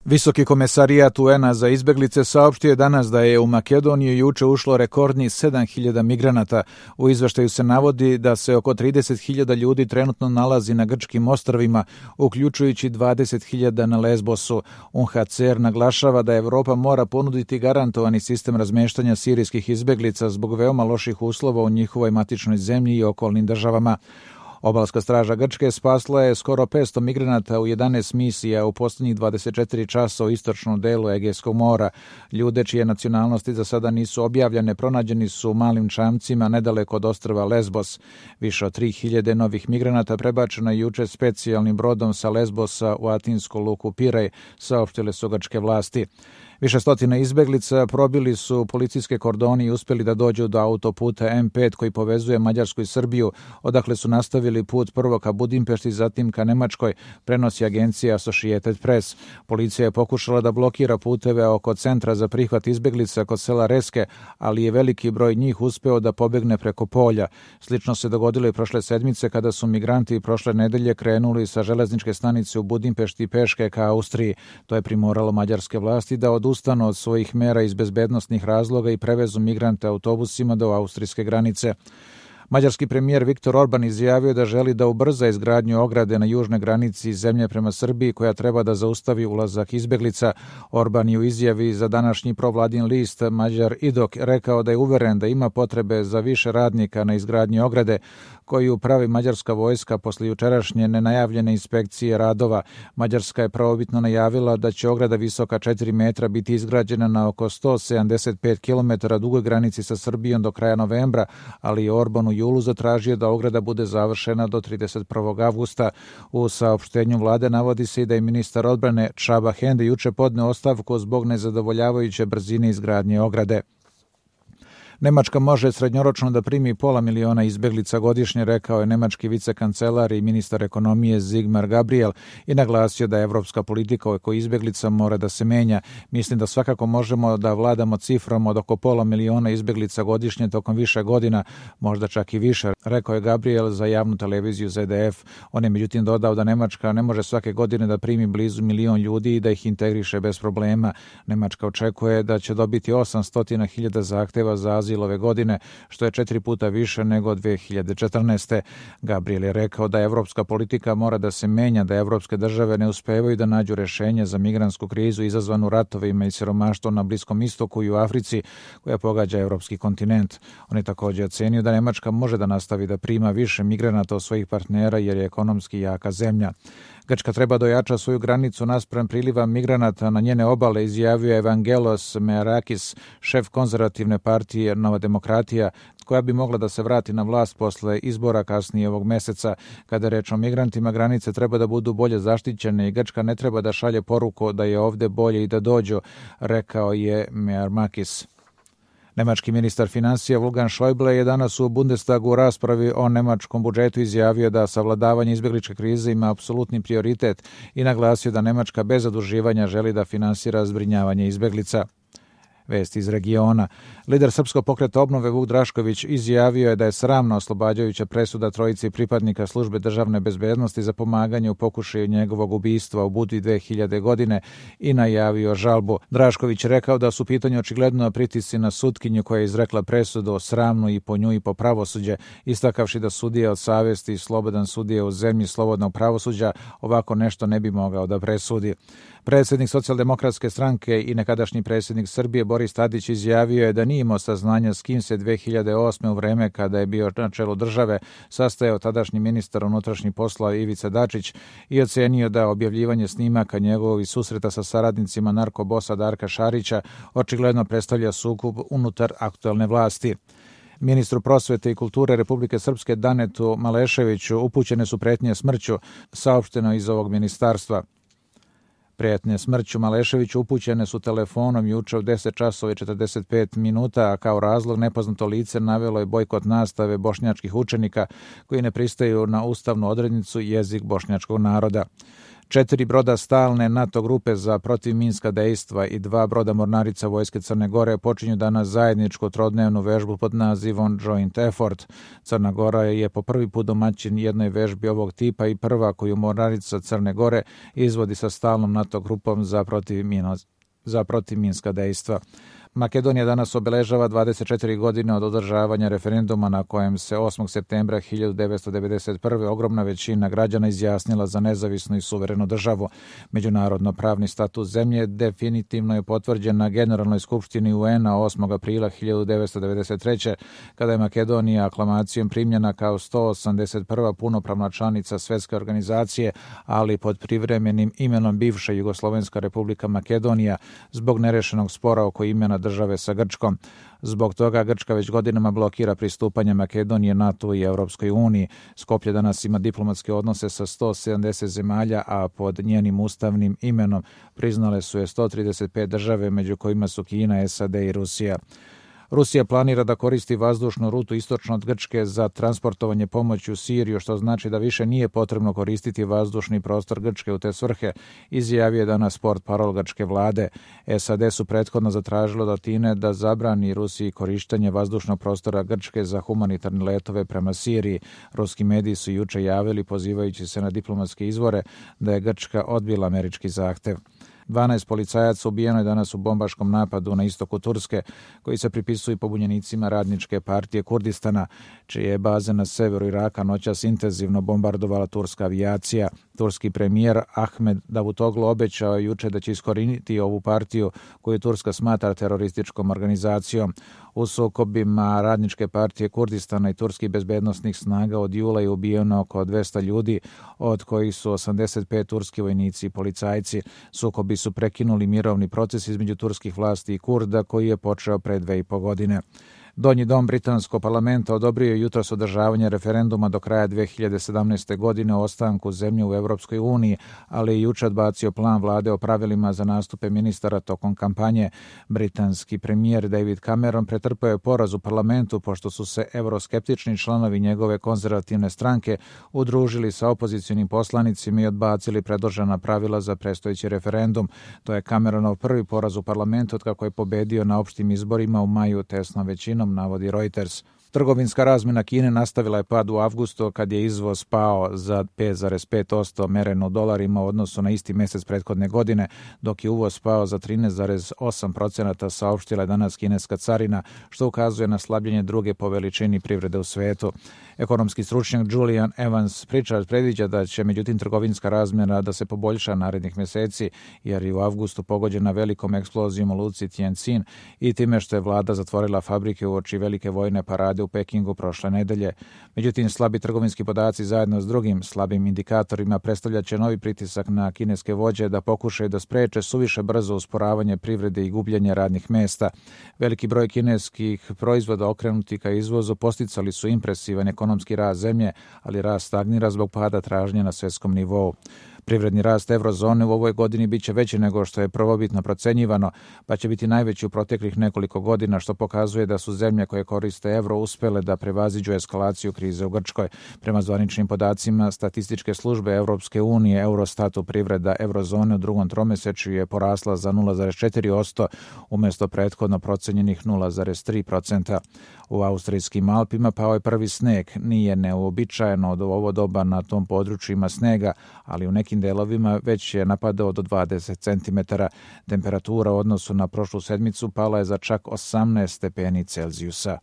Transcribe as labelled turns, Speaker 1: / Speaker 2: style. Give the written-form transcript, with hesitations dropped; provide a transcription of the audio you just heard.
Speaker 1: Visoki komesarijat UN-a za izbeglice saopštio je danas da je u Makedoniju juče ušlo rekordnih 7.000 migranata. U izveštaju se navodi da se oko 30.000 ljudi trenutno nalazi na grčkim ostrvima, uključujući 20.000 na Lesbosu. UNHCR naglašava da Evropa mora ponuditi garantovani sistem razmeštanja sirijskih izbeglica zbog veoma loših uslova u njihovoj matičnoj zemlji i okolnim državama. Obalska straža Grčke spasla je skoro 500 migranata u 11 misija u posljednjih 24 časa u istočnom delu Egejskog mora. Ljude čije nacionalnosti za sada nisu objavljene pronađeni su u malim čamcima nedaleko od ostrva Lesbos. Više od 3.000 novih migranata prebačeno je juče specijalnim brodom sa Lesbosa u atinsku luku Pirej, saopštile su grčke vlasti. Više stotina izbeglica probili su policijske kordoni i uspjeli da dođu do autoputa M5 koji povezuje Mađarsku i Srbiju, odakle su nastavili put prvo ka Budimpešti, zatim ka Nemačkoj, prenosi agencija Associated Press. Policija je pokušala da blokira puteve oko centra za prihvat izbeglica kod sela Reske, ali je veliki broj njih uspeo da pobegne preko polja. Slično se dogodilo i prošle sedmice kada su migranti prošle nedelje krenuli sa železničke stanice u Budimpešti peške ka Austriji. To je primoralo mađarske vlasti da odustanu od svojih mera iz bezbednosnih razloga i prevezu migrante autobusima do austrijske granice. Mađarski premijer Viktor Orban izjavio da želi da ubrza izgradnju ograde na južnoj granici zemlje prema Srbiji koja treba da zaustavi ulazak izbeglica. Orban je u izjavi za današnji provladin list Mađar Idok rekao da je uveren da ima potrebe za više radnika na izgradnji ograde koju pravi mađarska vojska posle jučerašnje nenajavljene inspekcije radova. Mađarska je prvobitno najavila da će ograda visoka 4 metra biti izgrađena na oko 175 km dugoj granici sa Srbijom do kraja novembra, ali je Orban u julu zatražio da ograda bude završena do 31. avgusta. U saopštenju vlade navodi se i da je ministar odbrane Csaba Hende juče podneo ostavku zbog nezadovoljavajuće brzine izgradnje ograde. Nemačka može srednjoročno da primi 500.000 izbeglica godišnje, rekao je nemački vicekancelar i ministar ekonomije Sigmar Gabriel i naglasio da evropska politika oko izbeglica mora da se menja. Mislim da svakako možemo da vladamo cifrom od oko 500.000 izbeglica godišnje tokom više godina, možda čak i više, rekao je Gabriel za javnu televiziju ZDF. On je međutim dodao da Nemačka ne može svake godine da primi blizu 1.000.000 ljudi i da ih integriše bez problema. Nemačka očekuje da će dobiti 800.000 zahteva za azil ove godine, što je 4 puta više nego 2014. Gabriel je rekao da evropska politika mora da se menja, da evropske države ne uspevaju da nađu rešenje za migrantsku krizu izazvanu ratovima i siromaštvom na Bliskom istoku i u Africi koja pogađa evropski kontinent. On je također ocenio da Nemačka može da nastavi da prima više migranata od svojih partnera jer je ekonomski jaka zemlja. Grčka treba da ojača svoju granicu naspram priliva migranata na njene obale, izjavio je Evangelos Mearakis, šef konzervativne partije Nova demokratija, koja bi mogla da se vrati na vlast posle izbora kasnije ovog meseca. Kada je reč o migrantima, granice treba da budu bolje zaštićene i Grčka ne treba da šalje poruku da je ovde bolje i da dođu, rekao je Mearakis. Nemački ministar financija Wolfgang Schäuble je danas u Bundestagu u raspravi o nemačkom budžetu izjavio da savladavanje izbegličke krize ima apsolutni prioritet i naglasio da Nemačka bez zaduživanja želi da finansira zbrinjavanje izbeglica. Vesti iz regiona. Lider Srpskog pokreta obnove Vuk Drašković izjavio je da je sramna oslobađajuća presuda trojici pripadnika službe državne bezbednosti za pomaganje u pokušaju njegovog ubistva u Budvi 2000. godine i najavio žalbu. Drašković rekao da su pitanje očigledno pritisci na sutkinju koja je izrekla presudu sramnu i po nju i po pravosuđe, istakavši da sudija od savesti i slobodan sudija u zemlji slobodnog pravosuđa ovako nešto ne bi mogao da presudi. Predsjednik Socijaldemokratske stranke i nekadašnji predsjednik Srbije Boris Tadić izjavio je da nije imao saznanja s kim se 2008. u vreme kada je bio na čelu države sastajao tadašnji ministar unutrašnjih poslova Ivica Dačić i ocenio da objavljivanje snimaka njegovih susreta sa saradnicima narkobosa Darka Šarića očigledno predstavlja sukob unutar aktuelne vlasti. Ministru prosvete i kulture Republike Srpske Danetu Maleševiću upućene su pretnje smrću, saopšteno iz ovog ministarstva. Prijetnje smrću Maleševiću upućene su telefonom juče u 10 časova i 45 minuta, a kao razlog nepoznato lice navelo je bojkot nastave bošnjačkih učenika koji ne pristaju na ustavnu odrednicu jezik bošnjačkog naroda. 4 broda stalne NATO grupe za protivminska dejstva i 2 broda mornarica Vojske Crne Gore počinju danas zajedničku trodnevnu vežbu pod nazivom Joint Effort. Crna Gora je po prvi put domaćin jednoj vežbi ovog tipa i prva koju mornarica Crne Gore izvodi sa stalnom NATO grupom za protivminska dejstva. Makedonija danas obeležava 24 godine od održavanja referenduma na kojem se 8. septembra 1991. ogromna većina građana izjasnila za nezavisnu i suverenu državu. Međunarodno pravni status zemlje definitivno je potvrđen na Generalnoj skupštini UN-a 8. aprila 1993. kada je Makedonija aklamacijom primljena kao 181. punopravna članica Svetske organizacije, ali pod privremenim imenom bivša Jugoslovenska republika Makedonija zbog nerešenog spora oko imena države sa Grčkom. Zbog toga Grčka već godinama blokira pristupanje Makedonije NATO i Europskoj uniji. Skoplje danas ima diplomatske odnose sa 170 zemalja, a pod njenim ustavnim imenom priznale su je 135 države, među kojima su Kina, SAD i Rusija. Rusija planira da koristi vazdušnu rutu istočno od Grčke za transportovanje pomoći u Siriju, što znači da više nije potrebno koristiti vazdušni prostor Grčke u te svrhe, izjavio je danas portparol grčke vlade. SAD su prethodno zatražilo od Atine da zabrani Rusiji korištenje vazdušnog prostora Grčke za humanitarne letove prema Siriji. Ruski mediji su juče javili, pozivajući se na diplomatske izvore, da je Grčka odbila američki zahtev. 12 policajaca ubijeno je danas u bombaškom napadu na istoku Turske, koji se pripisuju pobunjenicima Radničke partije Kurdistana, čije je baze na severu Iraka noćas intenzivno bombardovala turska avijacija. Turski premijer Ahmed Davutoglu obećao je juče da će iskoriniti ovu partiju koju Turska smatra terorističkom organizacijom. U sukobima Radničke partije Kurdistana i turskih bezbednosnih snaga od jula je ubijeno oko 200 ljudi, od kojih su 85 turski vojnici i policajci. Sukobi su prekinuli mirovni proces između turskih vlasti i Kurda koji je počeo pre 2,5 godine. Donji dom britanskog parlamenta odobrio je jutros održavanje referenduma do kraja 2017. godine o ostanku zemlje u Evropskoj uniji, ali je juče odbacio plan vlade o pravilima za nastupe ministara tokom kampanje. Britanski premijer David Cameron pretrpeo je poraz u parlamentu pošto su se evroskeptični članovi njegove konzervativne stranke udružili sa opozicionim poslanicima i odbacili predložena pravila za predstojeći referendum. To je Cameronov prvi poraz u parlamentu od kako je pobedio na opštim izborima u maju tesnom većinom, navodi Reuters. Trgovinska razmjena Kine nastavila je pad u avgustu kad je izvoz pao za 5,5% mereno u dolarima u odnosu na isti mesec prethodne godine, dok je uvoz pao za 13,8%, saopštila je danas kineska carina, što ukazuje na slabljenje druge po veličini privrede u svetu. Ekonomski stručnjak Julian Evans Pritchard predviđa da će međutim trgovinska razmjena da se poboljša narednih meseci, jer je u avgustu pogođena velikom eksplozijom u luci Tianjin i time što je vlada zatvorila fabrike uoči velike vojne parade u Pekingu prošle nedelje. Međutim, slabi trgovinski podaci zajedno s drugim slabim indikatorima predstavljaće novi pritisak na kineske vođe da pokušaju da spreče suviše brzo usporavanje privrede i gubljenje radnih mesta. Veliki broj kineskih proizvoda okrenuti ka izvozu posticali su impresivan ekonomski rast zemlje, ali rast stagnira zbog pada tražnje na svetskom nivou. Privredni rast eurozone u ovoj godini biće veći nego što je prvobitno procenjivano, pa će biti najveći u proteklih nekoliko godina, što pokazuje da su zemlje koje koriste evro uspele da prevaziđu eskalaciju krize u Grčkoj. Prema zvaničnim podacima statističke službe Evropske unije, Eurostatu privreda eurozone u drugom tromesečju je porasla za 0,4% umjesto prethodno procenjenih 0,3%. U austrijskim Alpima pao je prvi sneg. Nije neuobičajeno od ovo doba na tom području ima snega, ali u nekim delovima već je napadao do 20 cm. Temperatura u odnosu na prošlu sedmicu pala je za čak 18 stepeni Celzijusa.